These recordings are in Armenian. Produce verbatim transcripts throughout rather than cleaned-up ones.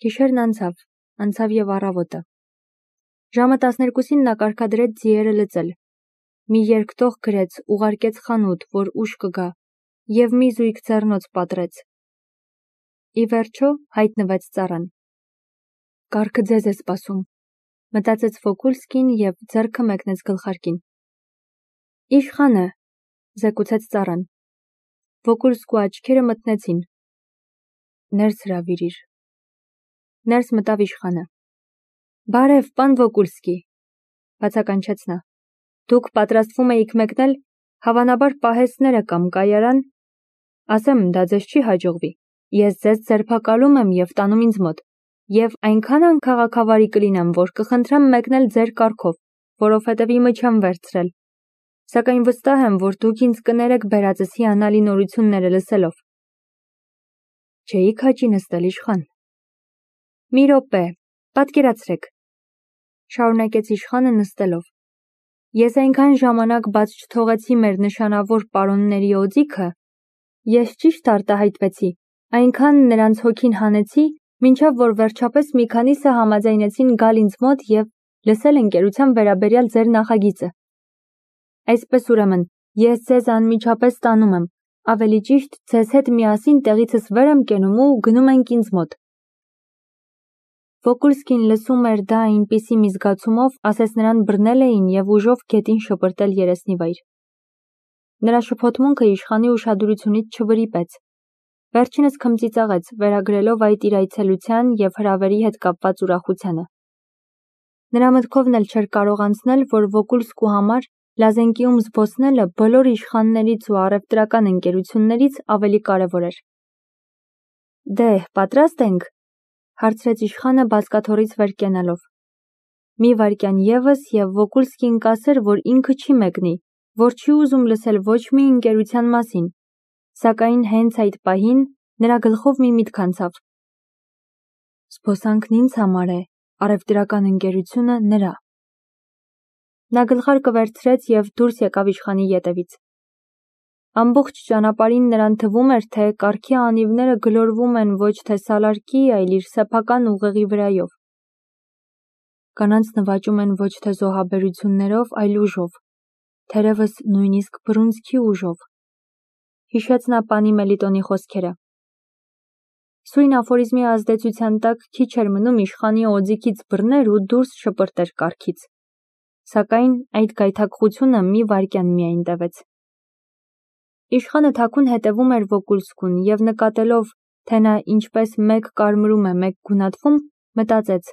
Գիշերն անցավ, անցավ և առավոտը։ Ժամը տասներկուսին նա կարգադրեց ձիերը լծել։ Մի երկտող գրեց, ուղարկեց խանութ, որ ուշ կգա, և մի զույգ ձեռնոց պատռեց։ Ի վերջո հայտնվեց ծառան։ Կառքը ձեզ է սպասում, մտածեց Վոկուլսկին և ձեռքը մեկնեց գլխարկին։ Իշխանը, զեկուցեց ծառան։ Վոկուլսկու աչքերը մթնեցին։ Ներս հրավիրիր։ Ներս մտավ իշխանը։ Բարև, պան Վոկուլսկի, բացականչեց նա։ Դուք պատրաստվում էիք մեկնել, հավանաբար պահեստները կամ կայարան։ Ասեմ, դա ձեզ չի հաջողվի։ Ես ձեզ ձերբակալում եմ և տանում ինձ մոտ, և այնքան անքաղաքավարի կլինեմ, որ կխնդրեմ մեկնել ձեր կառքով, որովհետև իմը չեմ վերցրել։ Սակայն վստահ եմ, որ դուք ինձ կներեք բերածս հիանալի նորությունները լսելով։ Չէիք հաճի նստել, իշխան։ Մի րոպե, պատկերացրեք, շարունակեց իշխանը նստելով։ Ես այնքան ժամանակ բաց չթողեցի մեր նշանավոր պարոնների օձիքը, ես ճիշտ արտահայտվեցի, այնքան նրանց հոգին հանեցի, մինչև որ վերջապես մի քանիսը համաձայնեցին գալ ինձ մոտ և լսել ընկերության վերաբերյալ ձեր նախագիծը։ Այսպես ուրեմն, ես ձեզ անմիջապես տանում եմ, ավելի ճիշտ ձեզ հետ միասին տեղիցս վեր եմ կենում ու գնում ենք ինձ մոտ։ Վոկուլսկին լսում էր դա այնպիսի մի զգացումով, ասես նրան բռնել էին և ուժով գետին շպրտել երեսնիվայր։ Նրա շփոթմունքը իշխանի ուշադրությունից չվրիպեց։ Վերջինս քմծիծաղեց, վերագրելով այդ իր այցելության և հրավերի հետ կապված ուրախությանը։ Նրա մտքովն էլ չէր կարող անցնել, որ Վոկուլսկու համար Լազենկիում զբոսնելը բոլոր իշխաններից ու առևտրական ընկերություններից ավելի կարևոր էր։ Դե, պատրաստ ենք, հարցրեց իշխանը բազկաթոռից վեր կենալով։ Մի վայրկյան ևս և Վոկուլսկին կասեր, որ ինքը չի մեկնի, որ չի ուզում լսել ոչ մի ընկերության մասին, սակայն հենց այդ պահին նրա գլխով մի միտք անցավ։ Զբոսանքն ինձ համար է, առևտրական ընկերությունը նրա։ Նա գլխարկը վերցրեց և դուրս եկավ իշխանի ետևից։ Ամբողջ ճանապարհին նրան թվում էր, թե կառքի անիվները գլորվում են ոչ թե սալարկի, այլ իր սեփական ուղեղի վրայով։ Կանանց նվաճում են ոչ թե զոհաբերություններով, այլ ուժով, թերևս նույնիսկ բռունցքի ուժով։ Հիշեց նա պանի Մելիտոնի խոսքերը։ Սույն աֆորիզմի ազդեցության տակ քիչ էր մնում իշխանի օձիքից բռներ ու դուրս շպրտեր կառքից։ Սակայն այդ գայթակղությունը մի վայրկյան միայն տևեց։ Իշխանը թաքուն հետևում էր Վոկուլսկուն և նկատելով, թե նա ինչպես մեկ կարմրում է, մեկ գունատվում, մտածեց.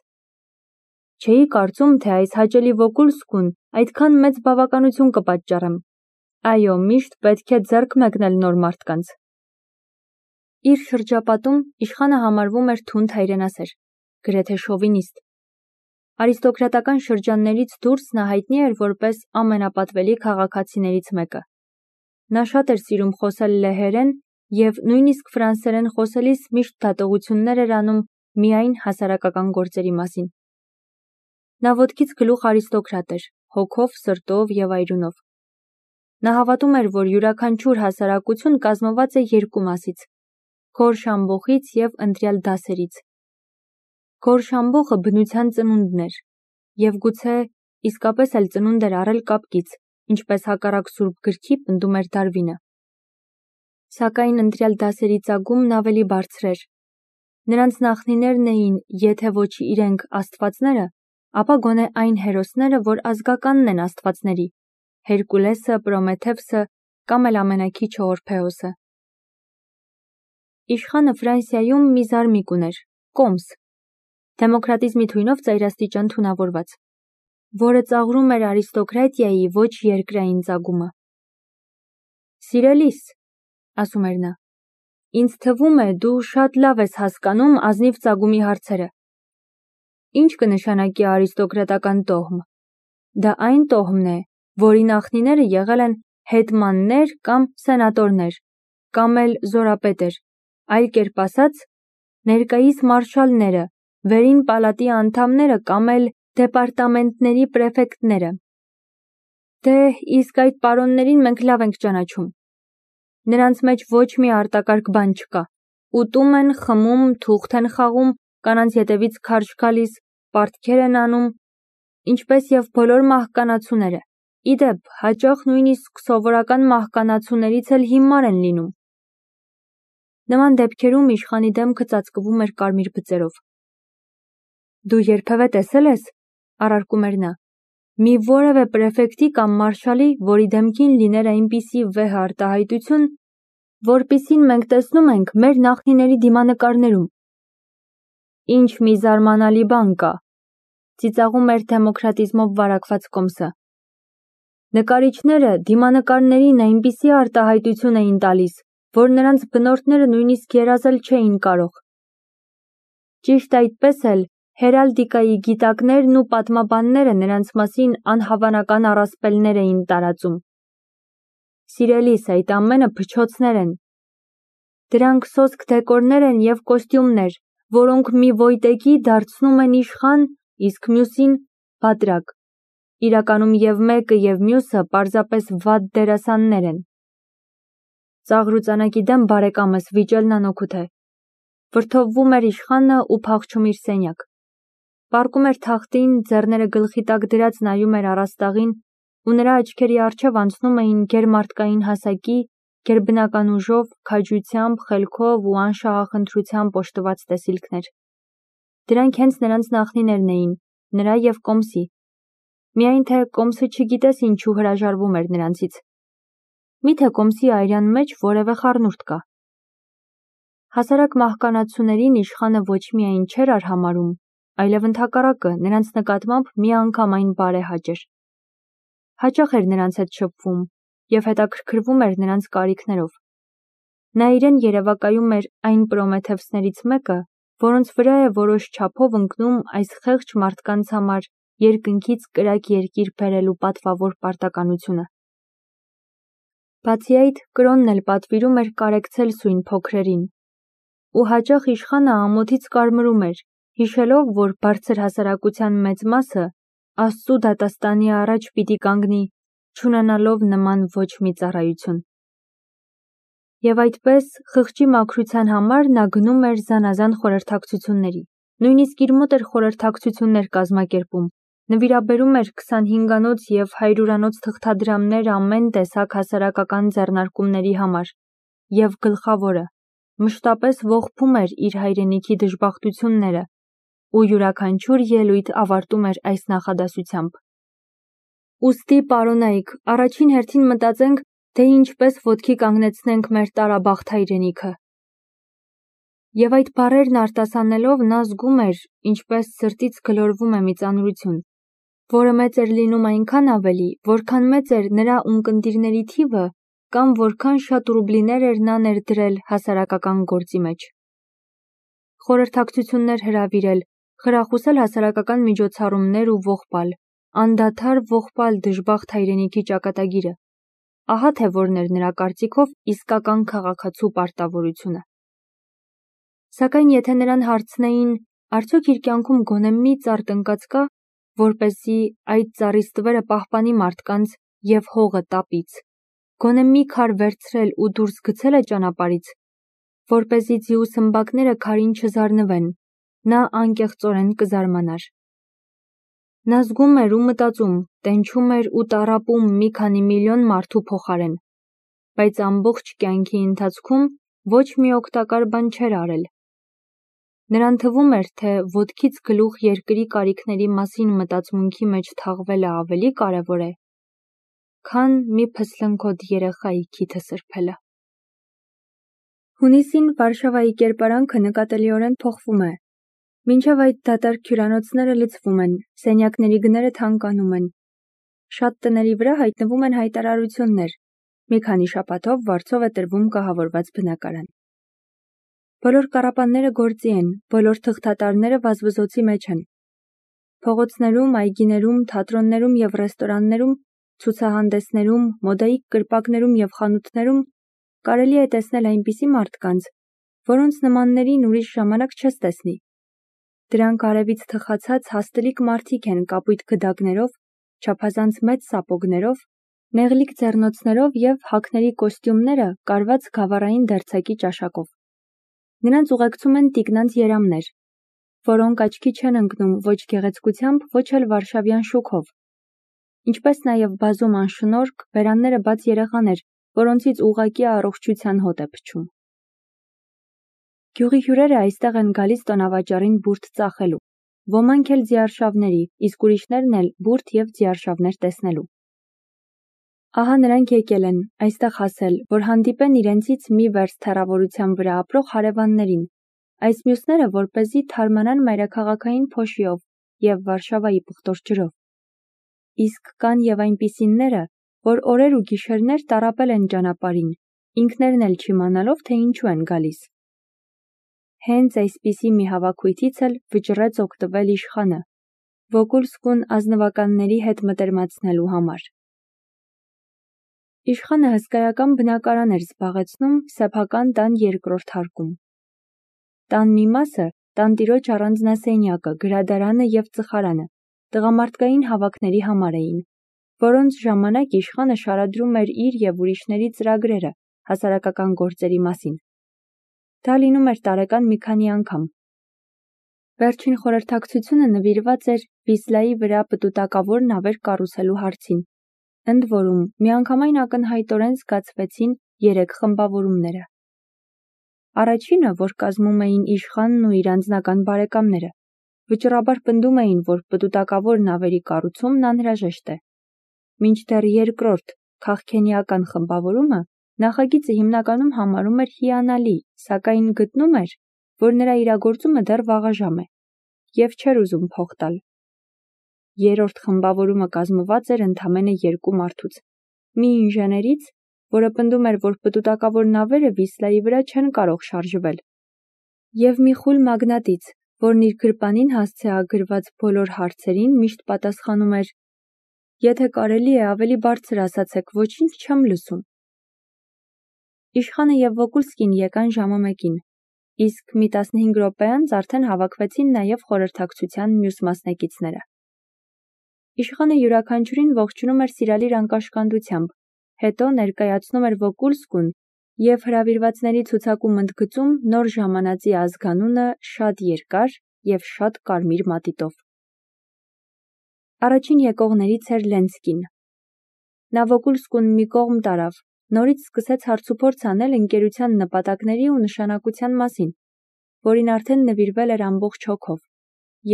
Չէի կարծում, թե այս հաճելի Վոկուլսկուն այդքան մեծ բավականություն կպատճառեմ։ Այո, միշտ պետք է ձեռք մեկնել նոր մարդկանց։ Իր շրջապատում իշխանը համարվում էր թունդ հայրենասեր, գրեթե շովինիստ։ Արիստոկրատական շրջաններից դուրս նա հայտնի էր որպես ամենապատվելի քաղաքացիներից մեկը։ Նա շատ էր սիրում խոսել լեհերեն և նույնիսկ ֆրանսերեն խոսելիս միշտ դատողություններ էր անում միայն հասարակական գործերի մասին։ Նա ոտքից գլուխ արիստոկրատ էր, հոգով, սրտով և այրունով։ Նա հավատում էր, որ յուրաքանչյուր հասարակություն կազմված է երկու մասից՝ գորշ ամբոխից և ընտրյալ դասերից։ Գորշ ամբոխը բնության ծնունդն էր, և գուցե իսկապես էլ ծնունդ էր առել կապկից, ինչպես հակառակ Սուրբ գրքի պնդում էր Դարվինը։ Սակայն ընտրյալ դասերի ծագումն ավելի բարձր էր։ Նրանց նախնիներն էին, եթե ոչ իրենք աստվածները, ապա գոնե այն հերոսները, որ ազգականն են աստվածների՝ Հերկուլեսը, Պրոմեթևսը կամ էլ ամենաքիչը Օրփեոսը։ Իշխանը Ֆրանսիայում մի զարմիկ ուներ՝ կոմս, դեմոկրատիզմի թույնով ծայրաստիճան թունավորված, որը ծաղրում էր արիստոկրատիայի ոչ երկրային ծագումը։ Սիրելիս, ասում էր նա, ինձ թվում է, դու շատ լավ ես հասկանում ազնիվ ծագումի հարցերը։ Ինչ կնշանակի արիստոկրատական տոհմ։ Դա այն տոհմն է, որի նախնիները եղել են հետմաններ կամ սենատորներ, կամ էլ զորապետեր, այլ կերպ ասած, ներկայիս մարշալները, վերին պալատի անդամները կամ էլ դեպարտամենտների պրեֆեկտները։ Դե, իսկ այդ պարոններին մենք լավ ենք ճանաչում։ Նրանց մեջ ոչ մի արտակարգ բան չկա։ Ուտում են, խմում, թուղթ են խաղում, կանանց ետևից քարշ գալիս, պարտքեր են անում, ինչպես և բոլոր մահկանացուները, իդեպ, հաճախ նույնիսկ սովորական մահկանացուներից էլ հիմար են լինում։ Նման դեպքերում իշխանի դեմքը ծածկվում էր կարմիր բծերով։ Դու երբևէ տեսել ես, առարկում էր նա, մի որևէ պրեֆեկտի կամ մարշալի, որի դեմքին լիներ այնպիսի վեհ արտահայտություն, որպիսին մենք տեսնում ենք մեր նախնիների դիմանկարներում։ Ինչ մի զարմանալի բան կա, ծիծաղում էր դեմոկրատիզմով վարակված կոմսը։ Նկարիչները դիմանկարներին այնպիսի արտահայտություն էին տալիս, որ նրանց բնորդները նույնիսկ երազել չէին կարող։ Ճիշտ այդպես էլ հերալդիկայի գիտակներն ու պատմաբանները նրանց մասին անհավանական առասպելներ էին տարածում։ Սիրելիս, այդ ամենը փչոցներ են։ Դրանք սոսկ դեկորներ են և կոստյումներ, որոնք մի ոյտեկի դարձնում են իշխան, իսկ մյուսին բատրակ։ Իրականում և մեկը և մյուսը պարզապես վատ դերասաններ են։ Ծաղրուծանակի դեմ բարեկամս վիճելն անօգուտ է։ Վրդովվում էր իշխանը ու փախչում իր սենյակ։ Պառկում էր թախտին, ձեռները գլխի տակ դրած նայում էր առաստաղին ու նրա աչքերի առջև անցնում էին գերմարդկային հասակի, գերբնական ուժով, քաջությամբ, խելքով ու անշահախնդրությամբ օժտված տեսիլքներ։ Դրանք հենց նրանց նախնիներն էին, նրա և կոմսի։ Միայն թե կոմսը չգիտես ինչու հրաժարվում էր նրանցից։ Միթե կոմսի այրան մեջ որևէ խառնուրդ կա։ Հասարակ մահկանացուներին իշխանը ոչ միայն չէր արհամարհում, այլև ընդհակառակը նրանց նկատմամբ միանգամայն բարեհաճ էր։ Հաճախ էր նրանց հետ շփվում և հետաքրքրվում էր նրանց կարիքներով։ Նա իրեն երևակայում էր այն պրոմեթևսներից մեկը, որոնց վրա է որոշ չափով ընկնում այս խեղճ մարդկանց համար երկնքից կրակ երկիր բերելու պատվավոր պարտականությունը։ Բացի այդ, կրոնն էլ պատվիրում էր կարեկցել սույն փոքրերին։ Ու հաճախ իշխանը ամոթից կարմրում էր, հիշելով, որ բարձր հասարակության մեծ մասը Աստծու դատաստանի առաջ պիտի կանգնի, չունենալով նման ոչ մի ծառայություն։ Եվ այդպես, խղճի մաքրության համար նա գնում էր զանազան խորհրդակցությունների, նույնիսկ իր մոտ էր խորհրդակցություններ կազմակերպում, նվիրաբերում էր քսանհինգանոց և հարյուրանոց թղթադրամներ ամեն տեսակ հասարակական ձեռնարկումների համար, և գլխավորը, մշտապես ողբում էր իր հայրենիքի դժբախտությունները ու յուրաքանչյուր ելույթ ավարտում էր այս նախադասությամբ. Ուստի, պարոնայք, առաջին հերթին մտածենք, թե ինչպես ոտքի կանգնեցնենք մեր տարաբախտ հայրենիքը։ Եվ այդ բառերն արտասանելով նա զգում էր, ինչպես սրտից գլորվում է մի ծանրություն, որը մեծ էր լինում այնքան ավելի, որքան մեծ էր նրա ունկնդիրների թիվը կամ որքան շատ ռուբլիներ էր նա ներդրել հասարակական գործի մեջ։ Խորհրդակցություններ հրավիրել, խրախուսել հասարակական միջոցառումներ ու ողբալ, անդադար ողբալ դժբախտ հայրենիքի ճակատագիրը։ Ահա թե որն էր նրա կարծիքով իսկական քաղաքացու պարտավորությունը։ Սակայն եթե նրան հարցնեին, արդյոք իր կյանքում գոնե մի ծառ տնկած կա, որպեսզի այդ ծառի ստվերը պահպանի մարդկանց և հողը տապից, գոնե մի քար վերցրել ու դուրս գցել է ճանապարհից, որպեսզի ձի ու սմբակները քարին չզարնվեն, նա անկեղծորեն կզարմանար։ Նա զգում էր ու մտածում, տենչում էր ու տառապում մի քանի միլիոն մարդու փոխարեն, բայց ամբողջ կյանքի ընթացքում ոչ մի օգտակար բան չէր արել։ Նրան թվում էր, թե ոտքից գլուխ երկրի կարիքների մասին մտածմունքի մեջ թաղվելը ավելի կարևոր է, քան մի փսլնքոտ երեխայի քիթը սրբելը։ Հունիսին Վարշավայի կերպարանքը նկատելիորեն փոխվում է։ Մինչև այդ դատարկ հյուրանոցները լցվում են, սենյակների գները թանկանում են։ Շատ տների վրա հայտնվում են հայտարարություններ։ Մի քանի շաբաթով վարձով է տրվում կահավորված բնակարան։ Բոլոր կառապանները գործի են, բոլոր թղթատարները վազվզոցի մեջ են։ Փողոցներում, այգիներում, թատրոններում և ռեստորաններում, ցուցահանդեսներում, մոդայիկ կրպակներում և խանութներում կարելի է տեսնել այնպիսի մարդկանց, որոնց նմաններին ուրիշ ժամանակ չես տեսնի։ Դրանք արևից թխացած հաստլիկ մարդիկ են կապույտ գդակներով, չափազանց մեծ սապոգներով, նեղլիկ ձեռնոցներով և հագների կոստյումները կարված գավառային դերձակի ճաշակով։ Նրանց ուղեկցում են տիկնանց երամներ։ որոնք աչքի չեն ընկնում ոչ գեղեցկությամբ, ոչ էլ վարշավյան շուքով, ինչպես նաև բազում անշնորհք, բերանները բաց երեխաներ, որոնցից ուղղակի առողջության հոտ է փչում։ Գյուղի հյուրերը այստեղ են գալիս տոնավաճառին բուրդ ծախելու, ոմանք էլ ձիարշավների, իսկ ուրիշներն էլ բուրդ և ձիարշավներ տեսնելու։ Ահա նրանք եկել են, այստեղ հասել, որ հանդիպեն իրենցից մի վերստ հեռավորության վրա ապրող հարևաններին, այս մյուսները որպեսզի թարմանան մայրաքաղաքային փոշիով և Վարշավայի պղտոր ջրով։ Իսկ կան և այնպիսինները, որ օրեր ու գիշերներ տառապել են ճանապարհին, ինքներն էլ չիմանալով, թե ինչու են գալիս։ Հենց այսպիսի մի հավաքույթից էլ վճռեց օգտվել իշխանը, Վոգուլսկուն ազնվականների հետ մտերմացնելու համար։ Իշխանը հսկայական բնակարան էր զբաղեցնում սեփական տան երկրորդ հարկում։ Տան մի մասը, տանտիրոջ առանձնասենյակը, գրադարանը և ծխարանը, տղամարդկային հավաքների համար էին, որոնց ժամանակ իշխանը շարադրում էր իր և ուրիշների ծրագրերը հասարակական գործերի մասին։ Դա լինում էր տարեկան մի քանի անգամ։ Վերջին խորհրդակցությունը նվիրված էր Վիսլայի վրա պտուտակավոր նավեր կառուցելու հարցին, ընդ որում միանգամայն ակնհայտորեն զգացվեցին երեք խմբավորումները։ Առաջինը, որ կազմում էին իշխանն ու իր անձնական բարեկամները, վճռաբար պնդում էին, որ պտուտակավոր նավերի կառուցումն անհրաժեշտ է, մինչդեռ երկրորդ, քաղքենիական խմբավորումը նախագիծը հիմնականում համարում էր հիանալի, սակայն գտնում էր, որ նրա իրագործումը դեռ վաղաժամ է, և չէր ուզում փող տալ։ Երրորդ խմբավորումը կազմված էր ընդամենը երկու մարդուց, մի ինժեներից, որը պնդում էր, որ պտուտակավոր նավերը Վիսլայի վրա չեն կարող շարժվել, և մի խուլ մագնատից, որն իր գրպանին հասցեագրված բոլոր հարցերին միշտ պատասխանում էր. «Եթե կարելի է, ավելի բարձր ասացեք, ոչինչ չեմ լսում»։ Իշխանը և Վոգուլսկին եկան ժամը մեկին, իսկ մի տասնհինգ րոպե անց արդեն հավաքվեցին նաև խորհրդակցության մյուս մասնակիցները։ Իշխանը յուրաքանչյուրին ողջունում էր սիրալիր անկաշկանդությամբ, հետո ներկայացնում էր Վոգուլսկուն և հրավիրվածների ցուցակում ընդգծում նոր ժամանածի ազգանունը շատ երկար և շատ կարմիր մատիտով։ Առաջին եկողներից էր Լենսկին։ Նա Վոգուլսկուն մի կողմ տարավ, նորից սկսեց հարցուփորձ անել ընկերության նպատակների ու նշանակության մասին, որին արդեն նվիրվել էր ամբողջ հոգով,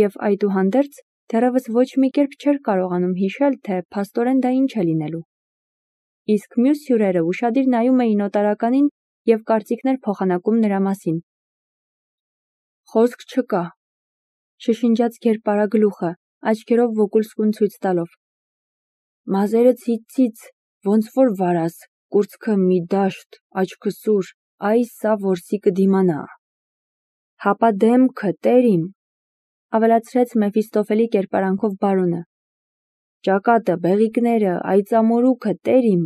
և այդուհանդերձ դեռևս ոչ մի կերպ չէր կարողանում հիշել, թե փաստորեն դա ինչ է լինելու։ Իսկ մյուս հյուրերը ուշադիր նայում էին օտարականին և կարծիքներ փոխանակում նրա մասին։ «Խոսք չկա», շշնջաց կերպարագլուխը, աչքերով Վոգուլսկուն ցույց տալով։ «Մազերը ցից-ցից, ոնց որ վարաս, կուրծքը մի դաշտ, աչքը սուր, այ սա որսի կդիմանա»։ «Հապա դեմքը, տեր իմ», ավելացրեց Մեֆիստոֆելի կերպարանքով բարոնը։ «Ճակատը, բեղիկները, այ ծամորուքը, տեր իմ,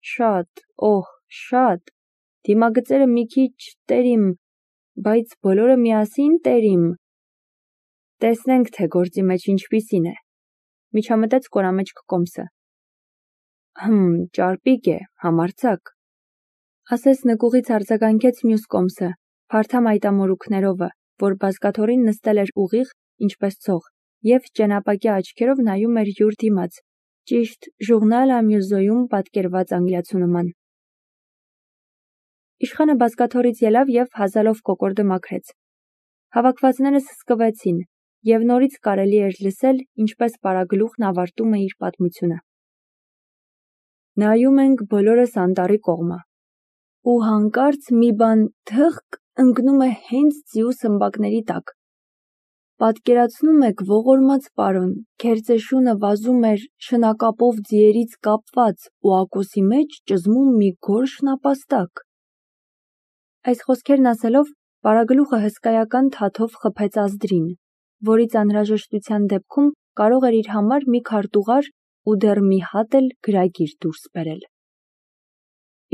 շատ, օհ, շատ, դիմագծերը մի քիչ, տեր իմ, բայց բոլորը միասին, տեր իմ»։ «Տեսնենք, թե գործի մեջ ինչպիսին է», միջամտեց կորամեջք Կոմսը։ «Հըմ, ճարպիկ է, համարձակ», ասես նկուղից արձագանքեց մյուս Կոմսը, փարթամ այտամորուքներովը, որ բազկաթոռին նստել էր ուղիղ, ինչպես ցող, և ճենապակյա աչքերով նայում էր յուր դիմաց, ճիշտ Ժուռնալ Ամյուզոյում պատկերված անգլիացու նման։ Իշխանը բազկաթոռից ելավ և հազալով կոկորդը մաքրեց։ Հավաքվածները սսկվեցին, և նորից կարելի էր լսել, ինչպես պարագլուխն ավարտում է իր պատմությունը։ Նայում ենք բոլորս անտառի կողմը, ու հանկարծ մի բան թըղկ ընկնում է հենց ձիու սմբակների տակ։ Պատկերացնում եք, ողորմած պարոն, քերծեշունը վազում էր շնակապով ձիերից կապված ու ակոսի մեջ ճզմում մի գորշ նապաստակ։ Այս խոսքերն ասելով, պարագլուխը հսկայական թաթով խփեց ազդրին, որից անհրաժեշտության դեպքում կարող էր իր համար մի քարտուղար ու դեռ մի հատ էլ գրագիր դուրս բերել։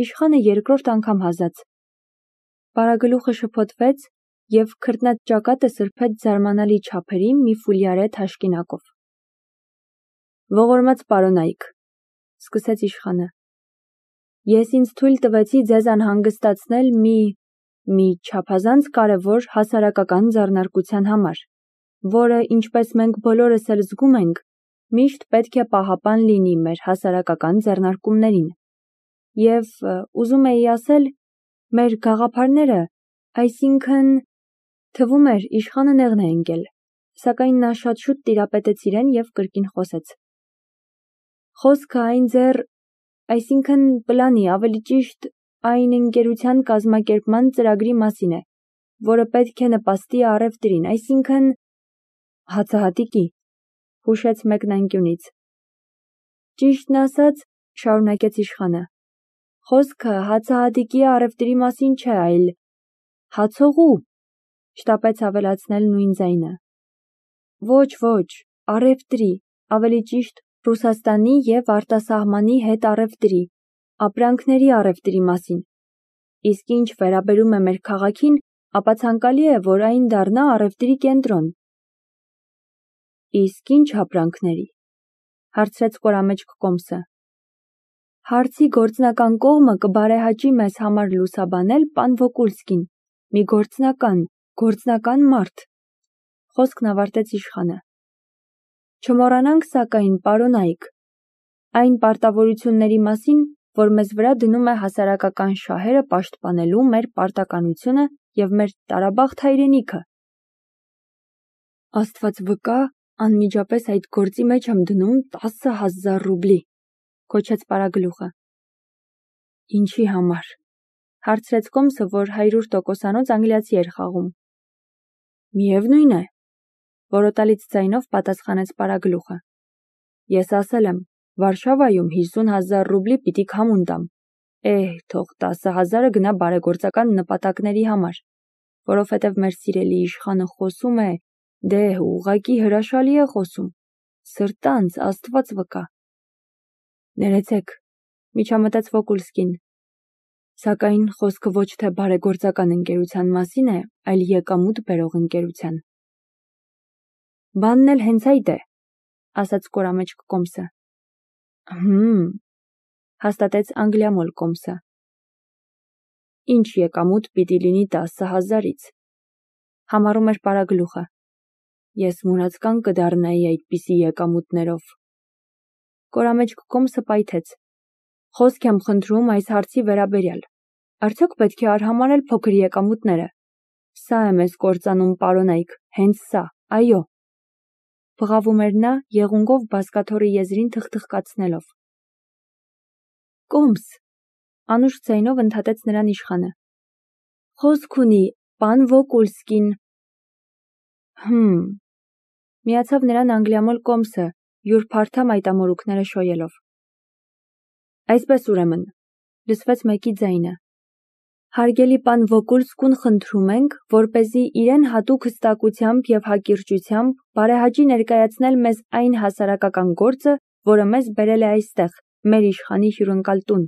Իշխանը երկրորդ անգամ հազաց։ Պարագլուխը շփոթվեց և քրտնած ճակատը սրբեց զարմանալի չափերի մի ֆուլյարե թաշկինակով։ «Ողորմած պարոնայք», սկսեց իշխանը, «ես ինձ թույլ տվեցի ձեզ անհանգստացնել մի… մի չափազանց կարևոր հասարակական ձեռնարկության համար, որը, ինչպես մենք բոլորս էլ զգում ենք, միշտ պետք է պահապան լինի մեր հասարակական ձեռնարկումներին։ Եվ ուզում էի ասել, մեր գաղափարները, այսինքն թվում էր իշխանը նեղն է ընկել, սակայն նա շատ շուտ տիրապետեց իրեն և կրկին խոսեց. Խոսքը այն ձեռ, այսինքն պլանի, ավելի ճիշտ այն ընկերության կազմակերպման ծրագրի մասին է, որը պետք է նպաստի առևտրին, այսինքն հացահատիկի, հուշեց մեկն անկյունից։ Ճիշտն ասած, շարունակեց իշխանը, խոսքը հացահատիկի առևտրի մասին չէ, այլ հացողու, շտապեց ավելացնել նույն ձայնը։ Ոչ, ոչ, առևտրի, ավելի ճիշտ Ռուսաստանի և արտասահմանի հետ առևտրի, ապրանքների առևտրի մասին։ Իսկ ինչ վերաբերում է մեր քաղաքին, ապա ցանկալի է, որ այն դառնա առևտրի կենտրոն։ Իսկ ինչ ապրանքների, հարցրեց կորամեջք Կոմսը։ Հարցի գործնական կողմը կբարեհաճի մեզ համար լուսաբանել պան Վոկուլսկին, մի գործնական, գործնական մարդ, խոսքն ավարտեց իշխանը։ Չմոռանանք սակայն, պարոն Այք, այն պարտավորությունների մասին, որ մեզ վրա դնում է հասարակական շահերը պաշտպանելու մեր պարտականությունը և մեր տարաբախտ հայրենիքը։ Աստված վկա, անմիջապես այդ գործի մեջ եմ դնում տասը հազար ռուբլի, կոչեց պարագլուխը։ Ինչի համար, հարցրեց Կոմսը, որ հարյուր տոկոսանոց անգլիացի էր խաղում։ Միևնույն է, որոտալից ձայնով պատասխանեց պարագլուխը։ Ես ասել եմ, Վարշավայում հիսուն հազար ռուբլի պիտի քամուն տամ, էհ, թող տասը հազարը գնա բարեգործական նպատակների համար, որովհետև մեր սիրելի իշխանը խոսում է, դե ուղղակի հրաշալի է խոսում, սրտանց, Աստված վկա։ Ներեցեք, միջամտեց Վոկուլսկին, սակայն խոսքը ոչ թե բարեգործական ընկերության մասին է, այլ եկամուտ բերող ընկերության։ Բանն էլ հենց այդ է, ասաց կորամեջք Կոմսը։ Հմ, հաստատեց անգլիամոլ Կոմսը։ Ինչ եկամուտ պիտի լինի տասը հազարից, համառում էր պարագլուխը։ Ես մուրացկան կդառնայի այդպիսի եկամուտներով։ Կորամեջք Կոմսը պայթեց։ Խոսք եմ խնդրում այս հարցի վերաբերյալ։ Արդյոք պետք է արհամարհել փոքր եկամուտները։ Սա է մեզ կործանում, պարոն Այք, հենց սա, այո։ Բղավում էր նա, եղունգով բազկաթոռի եզրին թխթխկացնելով։ Կոմս, անուշ ձայնով ընդհատեց նրան իշխանը։ Խոսք ունի, պան Վոկուլսկին։ Հմ, միացավ նրան անգլիամոլ Կոմսը, յուր փարթամ այտամորուքները շոյելով։ Այսպես ուրեմն, լսվեց մեկի ձայնը։ Հարգելի պան Վոկուլսկուն խնդրում ենք, որպեսզի իրեն հատուկ հստակությամբ և հակիրճությամբ բարեհաճի ներկայացնել մեզ այն հասարակական գործը, որը մեզ բերել է այստեղ, մեր իշխանի հյուրընկալ տուն։